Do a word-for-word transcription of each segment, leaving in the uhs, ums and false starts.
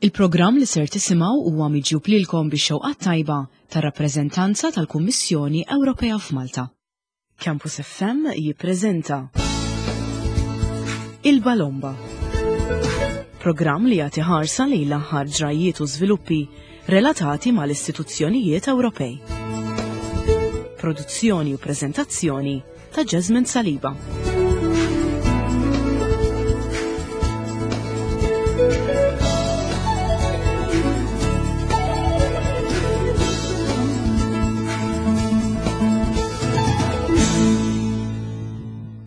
Il-programm li ser tisimgħu huwa miġjub lilkom bix-xewqa tajba tar-rappreżentanza tal-Kummissjoni Ewropea f'Malta. Campus F M jippreżenta Il-Balomba. Programm li jagħti ħarsa lejn l-aħħar ġrajiet u żviluppi relatati mal-istituzzjonijiet Ewropej. Produzzjoni u preżentazzjoni ta' Jasmine Saliba.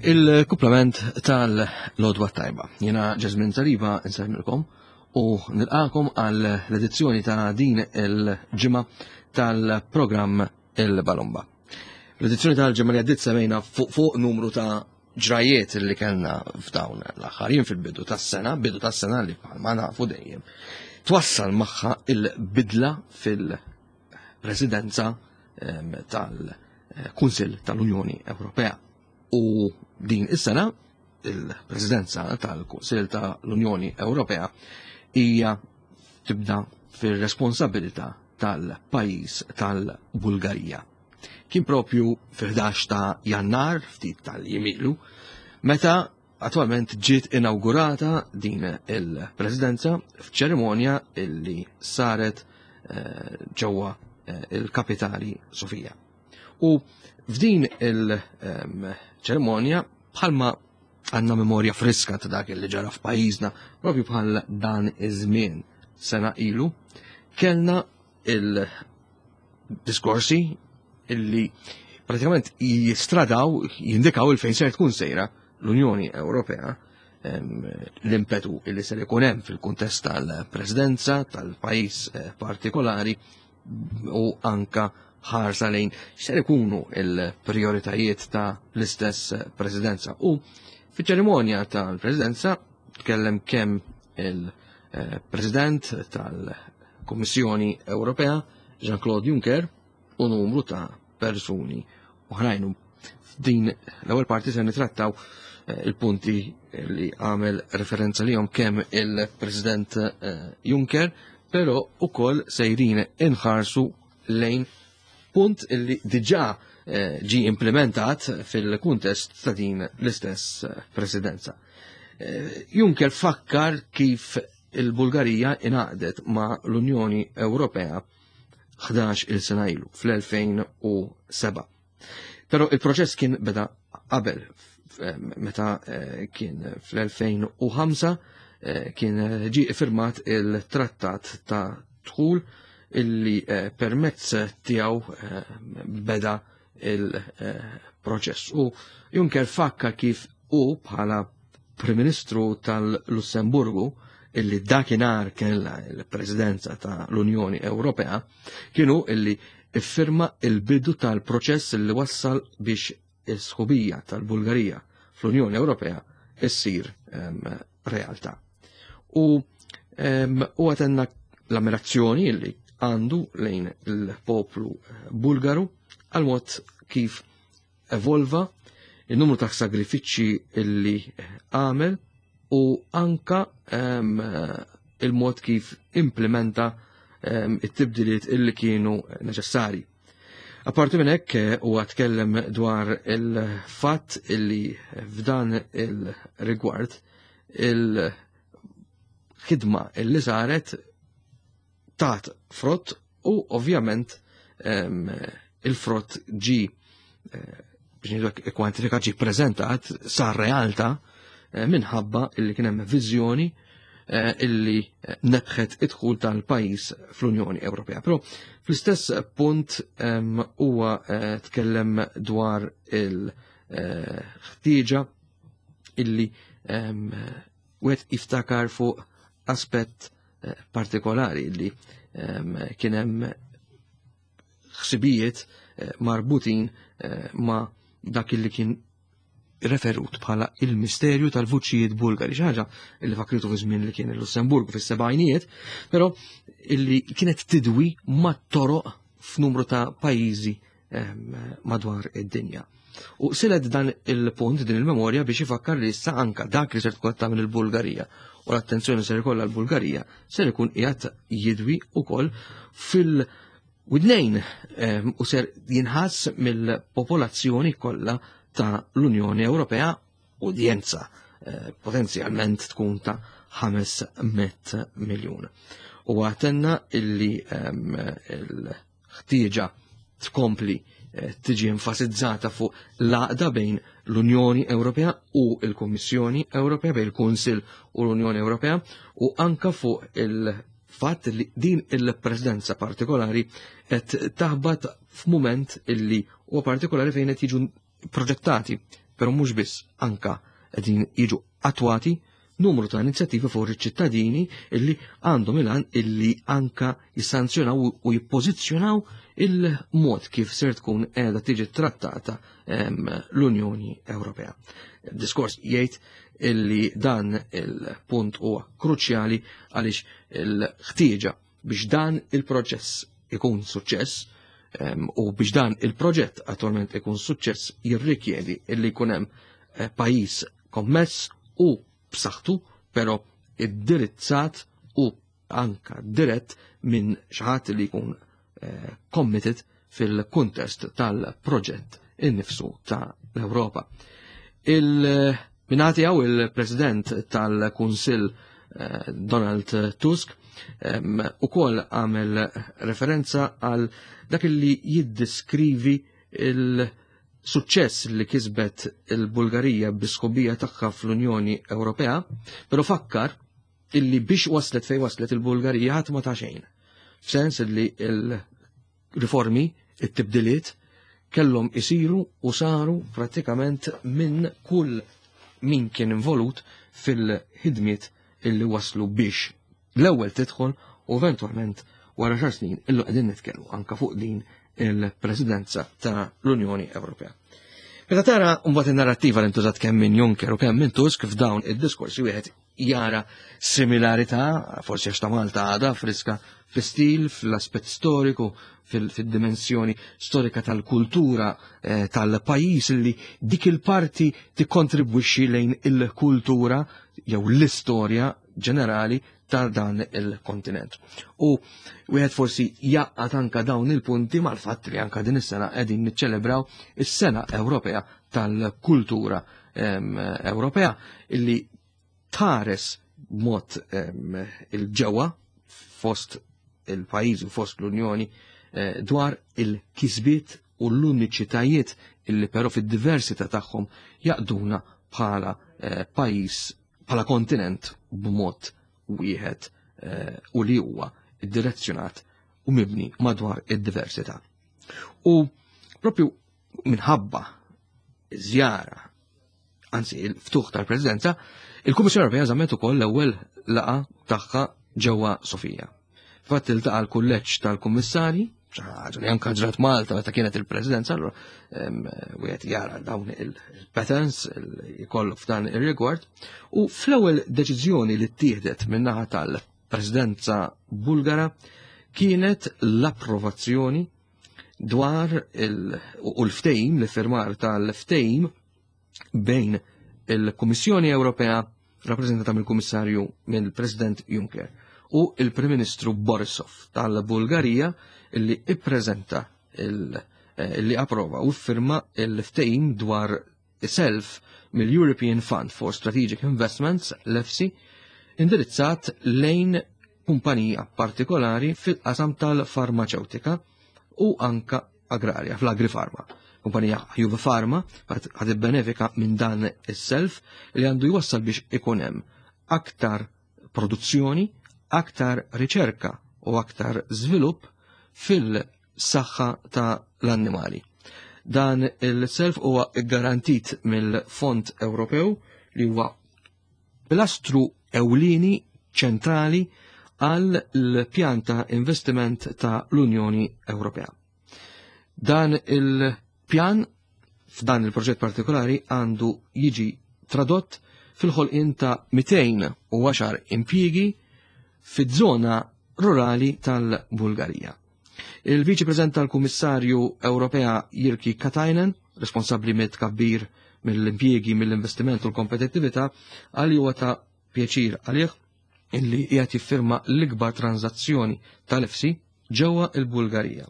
Il-kuplament tal-Lodwa Tajba. Jena Jasmine Saliba nsemmilkom u nilqakom għal l-edizzjoni ta' din il-ġimgħa tal-programm Il-Balomba. L-edizzjoni tal-ġimgħa li għaddiet semmejna fuq fuq numru ta' ġrajiet li kellna f'dawn l-aħħar jiem fil-bidu tas-sena, bidu tas-sena li bħalma nafu dejjem twassal magħha il-bidla fil-presidenza ehm, tal-Kunsill tal-Unjoni Ewropea. U din is-sena il-Presidenza tal-Kunsill tal-Unjoni Ewropea hija tibda fir-responsabilità tal-pajjiż tal-Bulgarija. Kien propju fil-ħdax ta' Jannar, ftit tal-jemilu, meta attualment ġiet inaugurata din il-presidenza f'ċerimonja illi saret eh, ġewwa eh, il-kapitali Sofija. U f'din il-ċerimonja, bħalma għandna memorja friska ta' dak li ġara f'pajjiżna, propju bħal dan iż-żmien sena ilu, kellna il-diskorsi illi pratikament jistradaw, jindikaw il-fejn ser tkun sejra l-Unjoni Ewropea, l-impetu illi ser ikun hemm fil-kuntest tal-presidenza tal-pajjiż eh, partikolari u anka ħarsa lejn x'ser ikunu il-prioritajiet ta' l-istess presidenza. U fiċ-ċerimonja tal-presidenza tkellem kemm il-President tal-Kummissjoni Ewropea Jean-Claude Juncker u numru ta' persuni oħrajn. F'din l-ewwel parti se nitrattaw eh, il-punti li għamel referenza lihom kemm il-President eh, Juncker, però ukoll sejrin inħarsu lejn punt illi diġà eh, ġi implementat fil-kuntest ta' din l-istess presidenza. Juncker fakkar kif il-Bulgarija ingħaqdet ma' l-Unjoni Ewropea ħdax il sena ilu fl-elfejn u seba'. Però il-proċess kien beda qabel, meta, eh, kien fl-elfejn u ħamsa, eh, kien ġi firmat il-trattat ta' dħul illi, eh, permezz tiegħu, eh, beda il-proċess. U Juncker fakka kif u bħala Prim Ministru tal-Lussemburgu, illi dakinhar kellha l-Presidenza ta' l-Unjoni Ewropea, kienu illi iffirma il-bidu tal-proċess li wassal biex is-sħubija tal-Bulgarija fl-Unjoni Ewropea issir, ehm, realtà. U, ehm, u għatenna l-ammirazzjoni illi għandu lejn il-poplu Bulgaru għal mod kif evolva, il-numru ta' sagrifiċċji illi għamel u anka, ehm, il-mod kif implementa, ehm, it-tibdiliet illi kienu neċessari. Apparti minn hekk, huwa tkellem dwar il-fatt illi f'dan il-rigward il-ħidma illi saret tat frott u ovvjament, ehm, il-frott ġi, eh, biex ngħidu kwantifikat, ġi preżentat, sar realtà, eh, minħabba illi kien hemm viżjoni, eh, illi nebħet id-dħul tal-pajjiż fl-Unjoni Ewropea. Però fl-istess punt, ehm, huwa, eh, tkellem dwar il-ħtieġa illi, ehm, wieħed jiftakar fuq aspett, eh, partikolari illi, ehm, kien hemm ħsibijiet, eh, marbutin, eh, ma' dak illi kien referut bħala il-misterju tal-vuċijiet Bulgari, xi ħaġa illi fakritu fi żmien li kien il-Lussemburgu fis-sebgħinijiet, però illi kienet tidwi mat-toroq f'numru ta' pajjiżi, ehm, madwar id-dinja. U silet dan il-punt, din il-memorja, biex ifakkar li issa anka dak li ser tkun tagħmel il-Bulgarija u l-attenzjoni ser ikollha l-Bulgarija ser ikun qiegħed jidwi ukoll fil-widnejn u ser jinħass mill-popolazzjoni kollha ta' l-Unjoni Ewropea, udjenza eh, potenzjalment tkun ta' ħames mitt miljun. U għatenna illi il-ħtieġa tkompli tiġi enfasizzata fuq l-għaqda bejn l-Unjoni Ewropea u l-Kummissjoni Ewropea, bejn il-Kunsill u l-Unjoni Ewropea, u anka fuq il-fatt li din il-presidenza partikolari qed taħbat f'mument illi huwa partikolari fejn qed jiġu proġettati, però mhux biss, anka qegħdin jiġu attwati numru ta' inizjattivi fuq iċ-ċittadini illi għandhom il-għan illi anka jissanzjonaw u jippożizzjonaw il-mod kif ser tkun qiegħda tiġi trattata l-Unjoni Ewropea. Diskors jgħid illi dan il-punt huwa kruċjali għaliex il-ħtieġa biex dan il-proċess ikun suċċess u biex dan il-proġett attualment ikun suċċess jirrikjedi illi jkun hemm eh, pajjiż kommess u b'saħħtu, però iddirizzat u anka dirett minn xi ħadd li jkun eh, committed fil-kuntest tal-proġett innifsu ta' l-Ewropa. Il-minati għaw il-President tal-Kunsill eh, Donald Tusk u kol għamel referenza għal dak li jiddiskrivi il-suċċess li kisbet il-Bulgarija bis-sħubija tagħha fl-Unjoni Ewropea, però fakkar illi biex waslet fej waslet il-Bulgarija ħadd ma ta' xejn. F'sens li il-riformi, it-tibdiliet, kellhom isiru u saru pratikament minn kull min kien involut fil-ħidmiet illi waslu biex l-ewwel tidħol u eventwalment wara xar snin illu qegħdin nitkellmu anka fuq din il-presidenza ta' l-Unjoni Ewropea. Meta tara mbagħad in-narrattiva li ntużat kemm minn Juncker u kemm minn Tusk f'dawn id-diskorsi, wieħed jara similarità, forsi għax ta' Malta għadha friska fl-istil, fl-aspett storiku, fil-dimensjoni storika tal-kultura eh, tal-pajjiż li dik il-parti tikkontribwixxi lejn il-kultura jew l-istorja ġenerali ta' dan il-kontinent. U wieħed forsi jaqgħad anka dawn il-punti mal-fatt li anka din is-sena qegħdin niċċelebraw is-Sena Ewropea tal-Kultura Ewropea illi tħares b'mod il-ġewwa fost il-pajjiż u fost l-Unjoni eh, dwar il-kisbiet u l-uniċitajiet illi però fid-diversità tagħhom jaqduna bħala eh, pajjiż, bħala kontinent b'mod wieħed eh, u li huwa direzzjonat u mibni madwar id-diversità. U propju minħabba żjara, anzi il-ftuħ tal-Presidenza, il-Kummissjoni Ewropea żammet ukoll l-ewwel laqa tagħha ġewwa Sofija. Fatt iltaqa' l-kulleġġ tal-Kummissarji, ħaġa li anka ġrat Malta meta kienet il-Presidenza, allura wieħed jara dawn il-patterns jkollu f'dan ir-rigward. U fl-ewwel deċiżjoni li ttieħdet min-naħa tal-Presidenza Bulgara kienet l-approvazzjoni dwar u l-ftehim, l-firmar tal-ftehim bejn il-Kummissjoni Ewropea rappreżentata mill-Kummissarju mill-President Juncker u il-Prim Ministru Borisov tal-Bulgarija illi ippreżenta illi approva u firma il-ftehim dwar self mill-European Fund for Strategic Investments, l-E F S I, indirizzat lejn kumpanija partikolari fil-qasam tal-farmaceutika u anka agrarja, fl-agrifarma. Kumpanija Juve Pharma ħad benefika minn dan is-self li għandu jwassal biex ikun hemm aktar produzzjoni, aktar riċerka u aktar żvilupp fil-saħħa ta' l-annimali. Dan il-self huwa garantit mill-Fond Ewropew li huwa pilastru ewlieni ċentrali għal l-pjan ta' investiment ta' l-Unjoni Ewropea. Dan il-pjan f'dan il-proġett partikolari għandu jiġi tradott fil-ħolqien ta' mitejn u għaxar impjiegi fiż-żona rurali tal-Bulgarija. Il-Viċi President tal-Kummissarju Ewropea Jyrki Katainen, responsabbli mit-tkabbir, mill-impjiegi, mill-investiment u l-kompetittività, għal huwa ta' pjaċir għalih illi qiegħed jiffirma l-ikbar tranzazzjoni tal-E F S I ġewwa il-Bulgarija.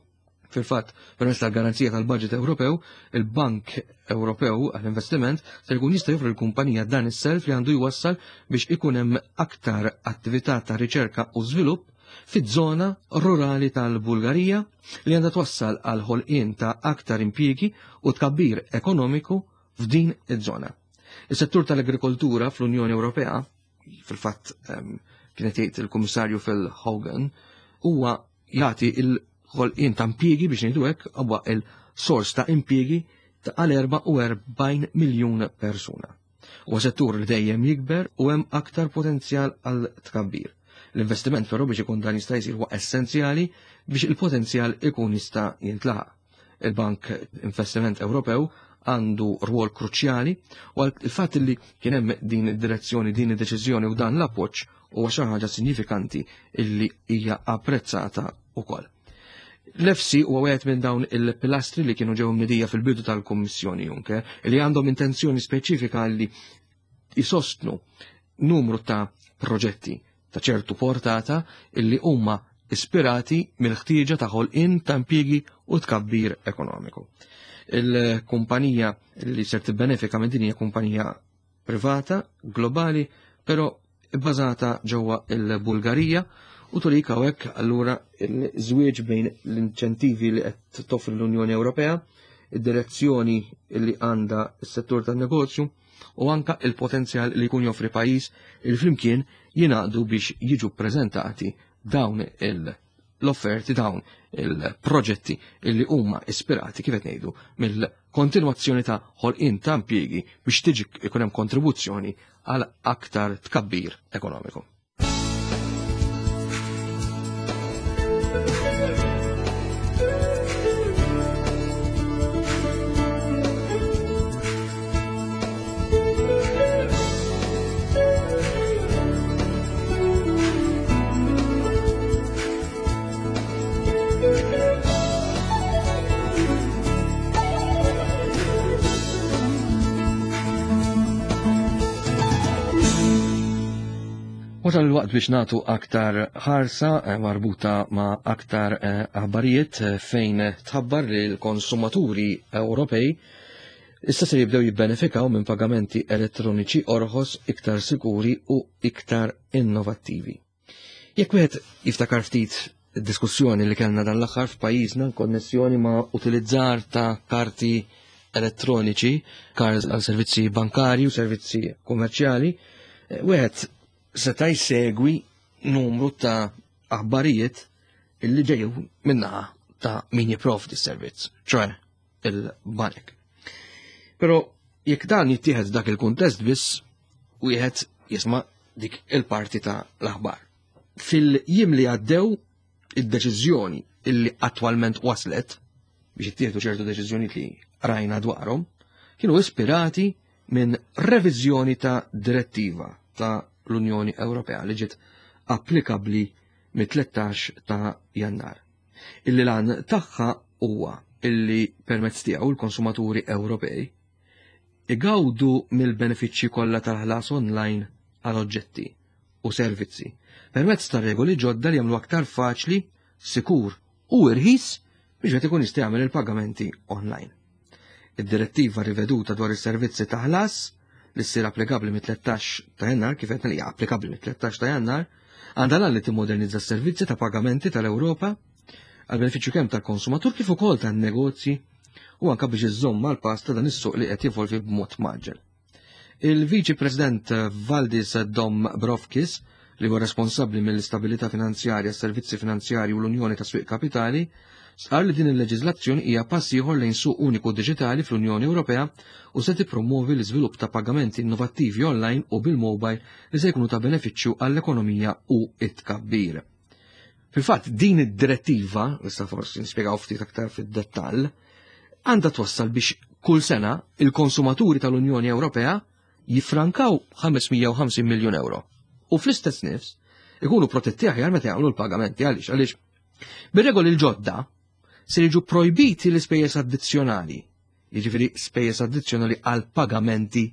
Fil-fatt, permezz tal-garanzija tal-Budget Ewropew, il-Bank Ewropew għall-Investiment se jkun jista' joffri l-kumpanija dan is-self li għandu jwassal biex ikun hemm aktar attività ta' riċerka u żvilupp fiż-żona rurali tal-Bulgarija, li għandha twassal għal ħolqien ta' aktar impjiegi u tkabbir ekonomiku f'din iż-żona. Is-settur tal-agrikoltura fl-Unjoni Ewropea, fil-fatt kienet jgħid il-Kummissarju Phil Hogan, huwa jagħti il-ħolqien ta' impjiegi, biex ngħidu hekk, huwa il-sors ta' impjiegi ta' għal erbgħa u erbgħin miljun persuna. Huwa settur li dejjem jikber u hemm aktar potenzjal għal tkabbir. L-investiment però biex ikun dan jista' jsir huwa essenzjali biex il-potenzjal ikun jista' jintlaħaq. Il-Bank Investiment Ewropew għandu rwol kruċjali u il-fatt li kien hemm din id-direzzjoni, din id-deċiżjoni u dan l-appoġġ huwa xi ħaġa sinifikanti illi hija apprezzata wkoll. L-E F S I huwa wieħed minn dawn il-pilastri li kienu ġew mnedija fil-bidu tal-Kummissjoni Juncker, li għandhom intenzjoni speċifika li jisostnu numru ta' proġetti ta' ċertu portata illi huma ispirati mill-ħtieġa ta' ħolqien ta' impjiegi u tkabbir ekonomiku. Il-kumpanija li ser tibbenefika minn din hija kumpanija privata, globali, però bbażata ġewwa il-Bulgarija, u turik hawnhekk allura il-żwieġ bejn l-inċentivi li qed toffri l-Unjoni Ewropea, id-direzzjoni li għandha s-settur tan-negozju u anka il-potenzjal li jkun joffri pajjiż, il flimkien jingħaqdu biex jiġu prezentati dawn l-offerti, dawn il-proġetti illi huma ispirati, kif qed ngħidu, mill-kontinwazzjoni ta' ħolqien ta' impjiegi biex tiġi ikun hemm kontribuzzjoni għal aktar tkabbir ekonomiku. Wasal il-waqt biex natu aktar ħarsa eh, marbuta ma' aktar eh, aħbarijiet eh, fejn tħabbar li l-konsumaturi Ewropej issa se jibdew jibbenefikaw minn pagamenti elettroniċi orħos, iktar sikuri u iktar innovattivi. Jekk wieħed jiftakar ftit diskussjoni li kellna dan l-aħħar f'pajjiżna konnessjoni ma' utilizzar ta' karti elettroniċi, cards għal servizzi bankari u servizzi kummerċjali, wieħed seta' jsegwi numru ta' aħbarijiet illi ġeju minnaħa ta' min jipprovdi s-servizz, ċoè il-banek. Pero jekk dan jittieħed dak il-kuntest biss, wieħed jisma' dik il-parti ta' l-aħbar. Fil-jiem li għaddew, id-deċiżjoni illi attwalment waslet biex jittieħdu ċertu deċiżjoni li rajna dwarhom, kienu ispirati minn reviżjoni ta' direttiva ta' l-Unjoni Ewropea li ġiet applikabli mit-tlettax ta' Jannar. Illi lan tagħha huwa illi permezz tiegħu l-konsumaturi Ewropej igawdu mill-benefiċċji kollha tal-ħlas online għal oġġetti u servizzi permezz ta' regoli ġodda li jagħmlu aktar faċli, sikur u irħis biex wieħed ikun jista' jagħmel il-pagamenti online. Id-direttiva riveduta dwar is-servizzi ta' ħlas li ssir applikabbli mit-tlettax ta' Jannar, kif qed li hija applikabbli mit-tlettax ta' Jannar, għandha li timmodernizza s-servizzi ta' pagamenti tal-Ewropa għal benefiċċju kemm tal-konsumatur kif ukoll tan-negozji u anka biex iżżomm mal-pass ta' dan is-suq li qed jevolvi b'mod mgħaġġel. Il-Viċi President Valdis Dombrovskis, li huwa responsabbli mill-istabilità finanzjarja, s-servizzi finanzjarji u l-Unjoni ta' Swieq Kapitali, stqar li din il-leġiżlazzjoni hija pass ieħor lejn suq uniku diġitali fl-Unjoni Ewropea u se tippromovi l-iżvilupp ta' pagamenti innovattivi online u bil-mobile li se jkunu ta' benefiċċju għall-ekonomija u it-tkabbir. Fil-fatt, din id-direttiva, issa forsi nispjegaw ftit aktar fid-dettall, għandha twassal biex kull sena il-konsumaturi tal-Unjoni Ewropea jifrankaw ħames mija u ħamsin miljun euro. U fl-istess nifs ikunu protetti aħjar meta jagħmlu l-pagamenti. Għaliex? Għaliex bir-regoli l-ġodda se jiġu projbiti l-ispejjeż addizzjonali, jiġifieri spejjeż addizzjonali għal pagamenti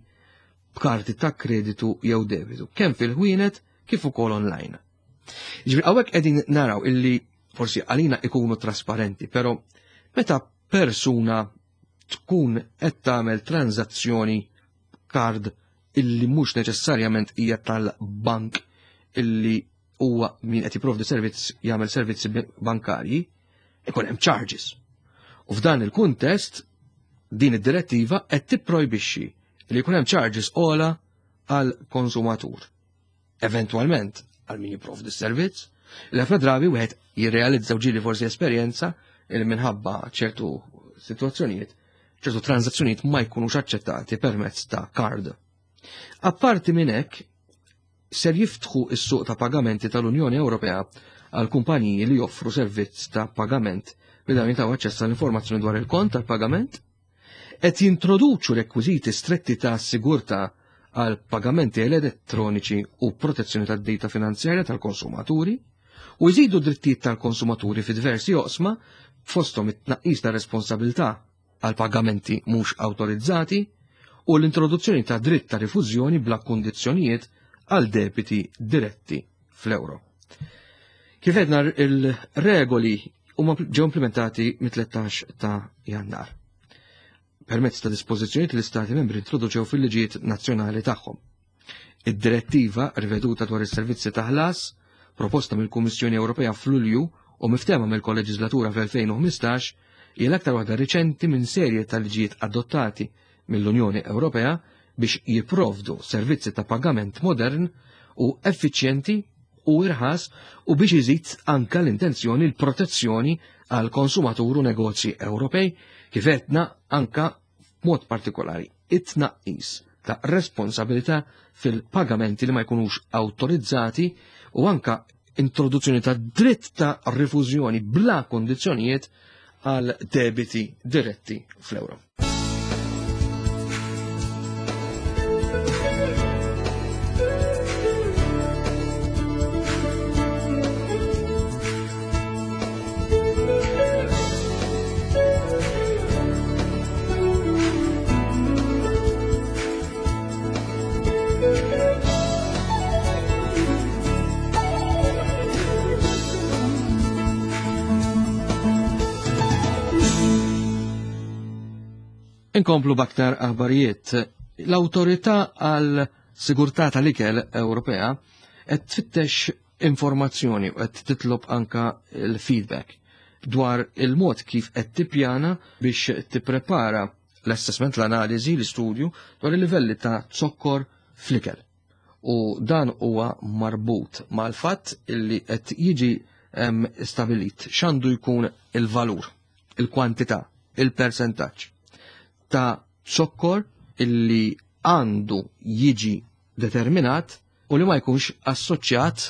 b'karti ta' kreditu jew debitu, kemm fil-ħwienet kif ukoll online. Ġifieri hawnhekk qegħdin naraw illi forsi għalina ikunu trasparenti, però meta persuna tkun qed tagħmel tranzazzjoni kard illi mhux neċessarjament hija tal-bank illi huwa min qed jipprovdi servizz jagħmel servizzi bankarji, ikun hemm charges. U f'dan il-kuntest din id-direttiva qed tipprojbixxi li jkun hemm charges ola għal konsumatur. Eventwalment għal min jipprovdi s-servizz, li ħafna drabi wieħed jirrealizza ġieli forsi esperjenza li minħabba ċertu situazzjonijiet, ċertu transazzjonijiet ma jkunux aċċettati permezz ta' card. Apparti minn hekk, ser jiftħu s-suq ta' pagamenti tal-Unjoni Ewropea għal kumpaniji li joffru servizz ta' pagament li dawn jitaw aċċess għall-informazzjoni dwar il-kont tal-pagament, qed jintroduċu rekwiżiti stretti ta' sigurtà għal pagamenti elettroniċi u protezzjoni tad-data finanzjarja tal-konsumaturi, u jżidu drittijiet tal-konsumaturi fi diversi oqsma fosthom it-tnaqqis ta' responsabilità għal pagamenti mhux awtorizzati u l-introduzzjoni ta' dritt ta' rifużjoni bla kundizzjonijiet għal debiti diretti fl-euro. Kif għedna, il-regoli huma ġew implementati mit-tlettax ta' Jannar permezz ta' dispożizzjonijiet li l-Istati membri introduċew fil-liġijiet nazzjonali tagħhom. Id-direttiva riveduta dwar is-servizzi ta' ħlas proposta mill-Kummissjoni Ewropea f'Lulju u miftema mill-Kolleġislatura fl-elfejn u ħmistax hija l-aktar waħda riċenti minn serje ta' liġijiet adottati mill-Unjoni Ewropea biex jipprovdu servizzi ta' pagament modern u effiċjenti u irħas u biex iżid anka l-intenzjoni l-protezzjoni għal konsumatur u negozji Ewropej, kif għedna anka b'mod partikolari it-tnaqqis ta' responsabilità fil-pagamenti li ma jkunux awtorizzati u anka introduzzjoni ta' dritt ta' rifużjoni bla kondizzjonijiet għal debiti diretti fl-euro. Inkomplu b'aktar aħbarijiet. L-Awtorità għal Sigurtà tal-Ikel Ewropea qed tfittex informazzjoni u qed titlob anka l-feedback dwar il-mod kif qed tippjana biex tipprepara l-assessment, l-analiżi, l-istudju dwar il-livelli ta' zokkor fl-ikel. U dan huwa marbut mal-fatt illi qed jiġi, em, stabilit x'għandu jkun il-valur, il-kwantità, il-percentaġġ ta' zokkor illi għandu jiġi determinat u li ma jkunx assoċjat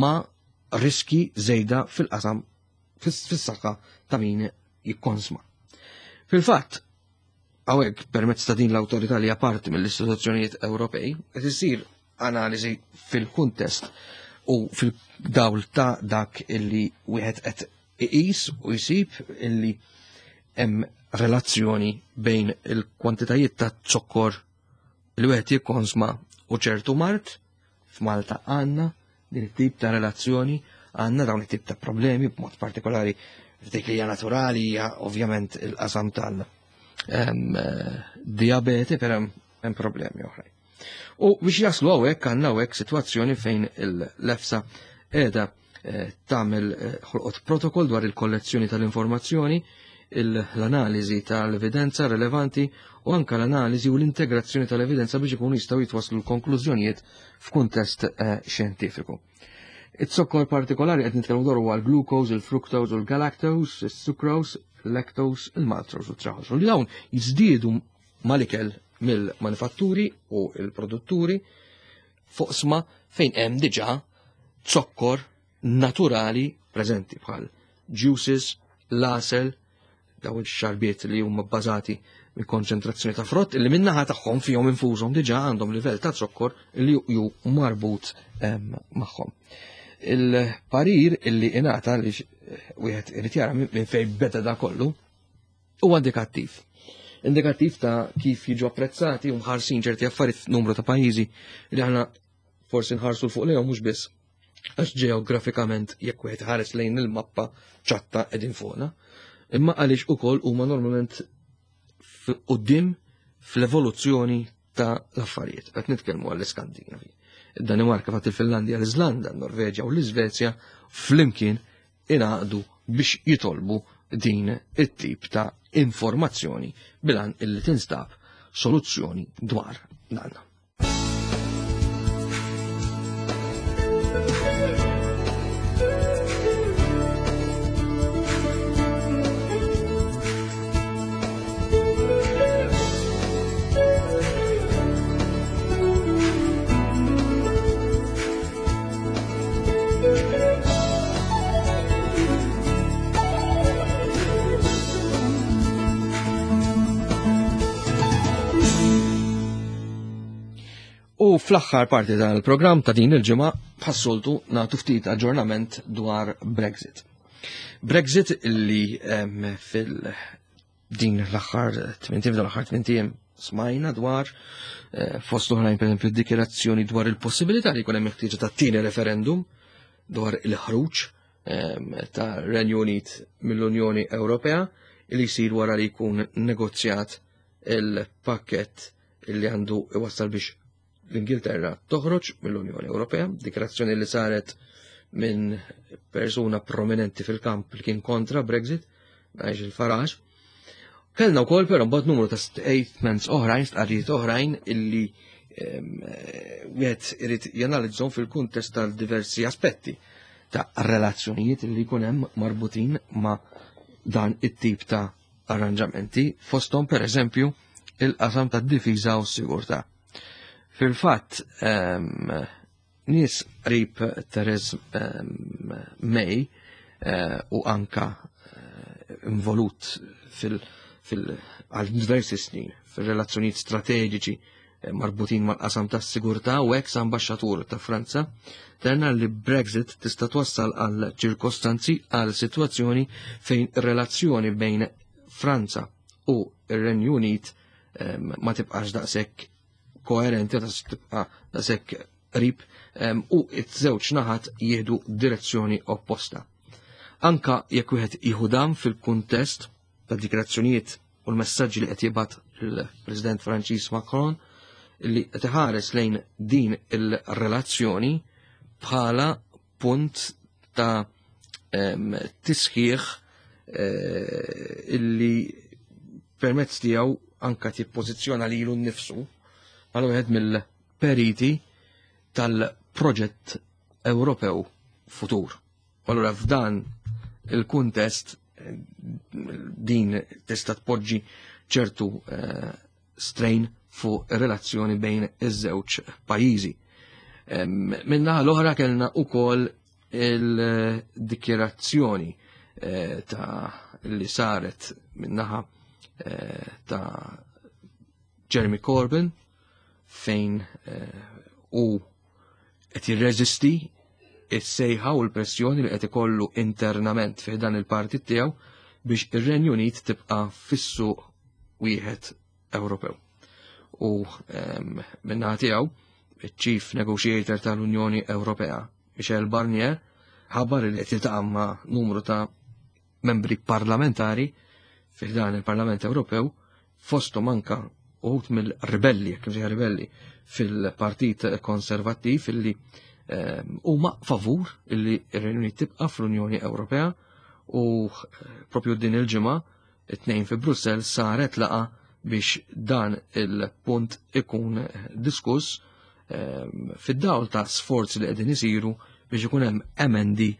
ma' riski żejda fil-qasam fis-saħħa ta' min jikkonsma. Fil-fatt, hawnhekk permezz ta' din l-awtorità li hija parti mill-istituzzjonijiet Ewropej, qed isir analiżi fil-kuntest u fil-dawl ta' dak illi wieħed qed iqis u jsib illi hemm relazzjoni bejn il-kwantitajiet ta' zokkor li wieħed jikkonsma u ċertu mard. F'Malta għandna din it-tip ta' relazzjoni, għandna dawn it-tip ta' problemi, b'mod partikolari f'dik li hija naturali hija ovvjament il-qasam tal, em, diabete, però hemm problemi oħrajn. U biex jaslu hawnhekk għandna hawnhekk sitwazzjoni fejn l-EFSA qiegħda, eh, tagħmel, eh, ħolqot protokoll dwar il-kollezzjoni tal-informazzjoni, il-, l-analiżi tal-evidenza rilevanti u anka l-analiżi u l-integrazzjoni tal-evidenza biex ikunu jistgħu jitwasslu l-konklużjonijiet f'kuntest, eh, xjentifiku. It-zokkor partikolari qed nitkellmu dwar huwa l-glucose, il-fructose u l-galactose, is-sucrose, il-lactose, il-maltose u t-trahose. U li dawn jiżdiedu mal-ikel mill-manifatturi u l-produtturi fuq sma fejn hemm diġà zokkor naturali preżenti bħal juices, l-għasel, daw ix-xarbiet li huma bbażati minn konċentrazzjoni ta' frott li min-naħa tagħhom fihom infushom diġà għandhom livell ta' zokkor li ju marbut, em, magħhom. Il-parir illi ingħata li wieħed irid jara minn fejn beda da kollu huwa indikattiv. Indikattiv ta' kif jiġu apprezzati u mħarsin ċerti affarijiet f'numru ta' pajjiżi li aħna forsi nħarsu 'l fuq lejhom mhux biss għax ġeografikament jekk wieħed ħares lejn il-mappa ċatta qegħdin fuqna, imma għaliex ukoll huma normalment quddiem fl-evoluzzjoni ta' l-affarijiet. Qed nitkellmu għall-Iskandinavi. Id-Danimarka, fatt il-Finlandja, l-Iżlanda, l-Norveġja u l-Iżvezja flimkien ingħaqdu biex jitolbu din it-tip ta' informazzjoni bilan illi tinstab soluzzjoni dwar dan. U fl-aħħar parti tal-programm ta' din il-ġimgħa bħas-soltu nagħtu ftit aġġornament dwar Brexit. Brexit illi fil din l-aħħar tmien ijiem l-aħħar tmien ijiem smajna dwar fost oħrajn pereżempju dikjarazzjoni dwar il-possibilità li jkun hemm ħtieġa ta' tieni referendum dwar il-ħruġ ta' Renju Unit mill-Unjoni Ewropea li jsir wara li jkun negozjat il-pakkett illi għandu iwassal biex l-Ingilterra toħroġ mill-Unjoni Ewropea, dikjarazzjoni li saret minn persuna prominenti fil-kamp li kien kontra Brexit, Nigel Farage. Kellna wkoll però mbagħad numru ta' statements oħrajn, stqarrijiet oħrajn illi wieħed irid janalizzhom fil-kuntest tal-diversi aspetti ta' relazzjonijiet li jkun hemm marbutin ma' dan it-tip ta' arranġamenti, fosthom pereżempju il-qasam tad-difiża u s-sigurtà. Fil-fatt, nies qrib Theresa May u anka involut għal diversi snin fil-relazzjonijiet strateġiċi marbutin mal-qasam tas-sigurtà u ex ambaxxatur ta' Franza, tenna li Brexit tista' twassal għal ċirkostanzi għal sitwazzjoni fejn relazzjoni bejn Franza u r-Renju Unit ma tibqax daqshekk koerenti, tibqa' daqshekk qrib u ż-żewġ naħat jieħdu direzzjoni opposta. Anka jekk wieħed jieħu dan fil-kuntest ta' dikjarazzjonijiet u l-messaġġi li qed jibgħat il-President Franċiż Macron li qed iħares lejn din il-relazzjoni bħala punt ta' tisħiħ illi permezz tiegħu anka tippożizzjona lilu nnifsu għal wieħed mill-periti tal-proġett Ewropew futur. Allura f'dan il-kuntest din tista' tpoġġi ċertu strain fuq relazzjoni bejn iż-żewġ pajjiżi. Minnaħa l-oħra kellna wkoll il-dikjerazzjoni ta' li saret minnaħa ta' Jeremy Corbyn fejn u qed jirreżisti is-sejħa u l-pressjoni li qed ikollu internament fi dan il-partit tiegħu biex ir-Renju Unit tibqa' fis-suq wieħed Ewropew. U min-naħa tiegħu iċ-Chief Negotiator tal-Unjoni Ewropea, Michel Barnier, ħabbar li qed jiltaqa' ma' numru ta' membri parlamentari fi dan il-Parlament Ewropew, fosthom anka uħud mill-ribelli, jekk imsejħa ribelli, fil-Partit Konservattiv illi huma favur illi r-Renju Unit tibqa' fl-Unjoni Ewropea u propju din il-ġimgħa it-tnejn fi Brussell saret laqa biex dan il-punt ikun diskuss fid-dawl ta' sforzi li qegħdin isiru biex ikun hemm emendi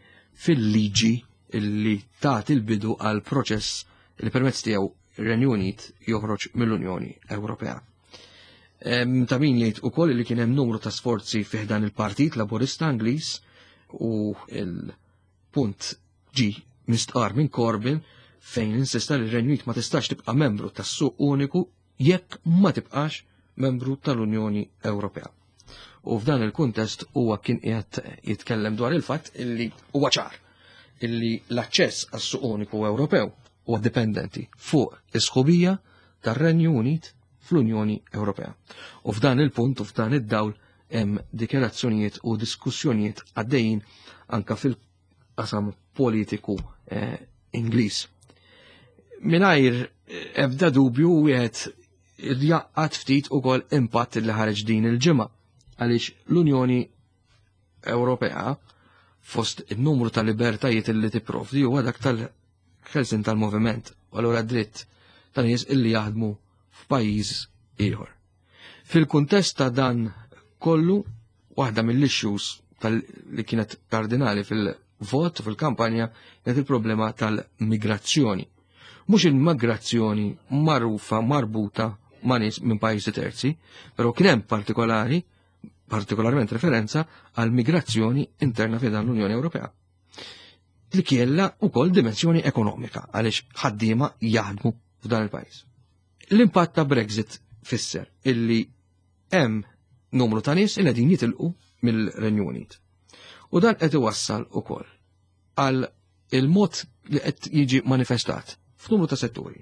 fil-liġi illi tagħti l-bidu għal proċess li permezz tiegħu ir-Renju Unit joħroġ mill-Unjoni Ewropea. Ta' min jgħid ukoll li kien hemm numru ta' sforzi fih dan il-Partit Laburista Ingliż u il-punt ġi mistqar minn Corbyn fejn insista li r-Renju Unit ma tistax tibqa' membru tas-suq uniku jekk ma tibqax membru tal-Unjoni Ewropea. U f'dan il-kuntest huwa kien qiegħed jitkellem dwar il-fatt illi huwa ċar illi l-aċċess għas-suq uniku Ewropew huwa dipendenti fuq is-sħubija tar-Renju Unit fl-Unjoni Ewropea. U f'dan il-punt u f'dan id-dawl hemm dikjarazzjonijiet u diskussjonijiet għaddejjin anka fil-qasam politiku eh, Ingliż. Mingħajr ebda dubju wieħed jaqgħad ftit ukoll impatt li ħareġ din il-ġimgħa għaliex l-Unjoni Ewropea fost il-numru ta' libertajiet li tipprovdi huwa dak tal-ħelsien tal-moviment u allura dritt ta' nies illi jaħdmu f'pajjiż ieħor. Fil-kuntest ta' dan kollu, waħda mill-issues li kienet kardinali fil-vot fil-kampanja kienet il-problema tal-migrazzjoni. Mhux il-migrazzjoni magħrufa marbuta ma' nies minn pajjiżi terzi, però kien hemm partikolari partikolarment referenza għal migrazzjoni interna fi dan l-Unjoni Ewropea. Li kiella wkoll dimensjoni ekonomika għaliex ħaddiema jaħdmu f'dan il-pajjiż. L-impatt ta' Brexit fisser illi hemm numru ta' nies illi qegħdin jitilqu mill-Renju Unit. U dan qed iwassal ukoll għal il-mod li qed jiġi manifestat f'numru ta' setturi.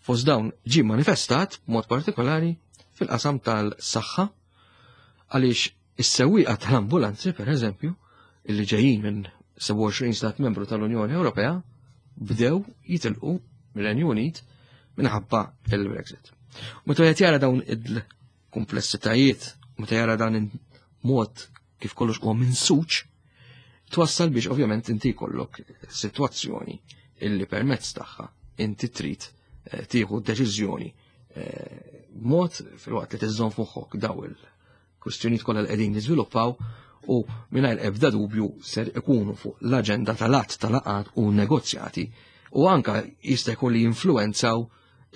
Fost dawn ġie manifestat b'mod partikolari fil-qasam tal-saħħa għaliex is-sewwieqa tal-ambulanzi, per eżempju, illi ġejjin minn sebgħa u għoxrin stat membru tal-Unjoni Ewropea, bdew jitilqu mir-Renju Unit minħabba il-Brexit. Meta qed jara dawn il-komplessitajiet, meta jara dan il-mod kif kollox huwa minsuċ, twassal biex ovvjament inti jkollok sitwazzjoni illi permezz tagħha inti trid, eh, tieħu deċiżjoni, eh, b'mod filwaqt li tiżżomm f'moħħok daw il-kwistjonijiet kollha li qegħdin niżviluppaw u mingħajr ebda dubju ser ikunu fuq l-aġenda tal-att tal-laqgħat u negozjati u anka jista' jkun li jinfluwenzaw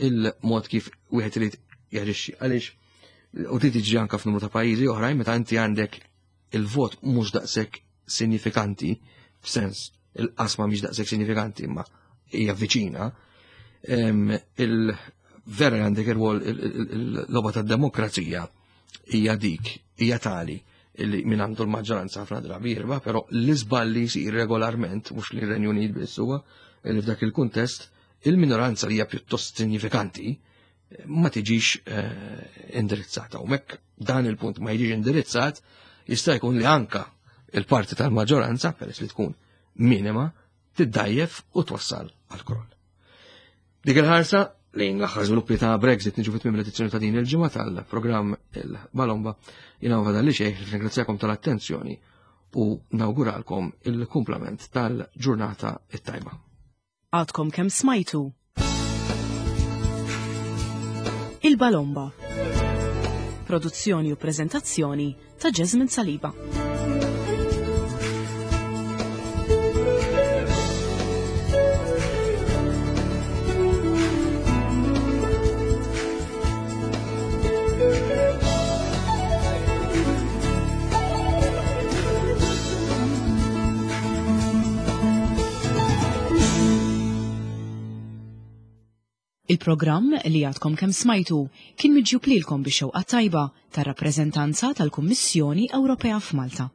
il-mod kif wieħed irid jaġixxi. Għaliex u trid tiġi anka f'numru ta' pajjiżi oħrajn meta inti għandek il-vot mhux daqshekk sinifikanti, f'sens il-qasma mhix daqshekk sinifikanti imma hija viċina, em, il-vera għandek ir-rwol il-logħba tad-demokrazija hija dik, hija tali illi min għandu l-maġġoranza ħafna drabi jirba, però l-iżballi jsir regolarment, mhux li r-Renju Unit biss huwa, li f'dak il-kuntest il-minoranza li hija pjuttost sinifikanti ma tiġix, eh, indirizzata. U mekk dan il-punt ma jiġix indirizzat, jista' jkun li anka il-parti tal-maġġoranza, peress li tkun minima, tiddajjef u twassal għal kroll. Dik il-ħarsa lejn l-aħħar żviluppi ta' Brexit niġu fit-tmiem l-edizzjoni ta' din il-ġimgħa tal-programm il-Balomba. Jiena ma fadalli xejn, ringrazzjakom tal-attenzjoni u nawguralkom il-kumplament tal-ġurnata it-tajba. Għadkom kemm smajtu Il-Balomba. Produzzjoni u preżentazzjoni ta' Jasmine Saliba. Il-programm li għadkom kemm smajtu kien miġjub lilkom bix-xewqa tajba tar-rappreżentanza tal-Kummissjoni Ewropea f'Malta.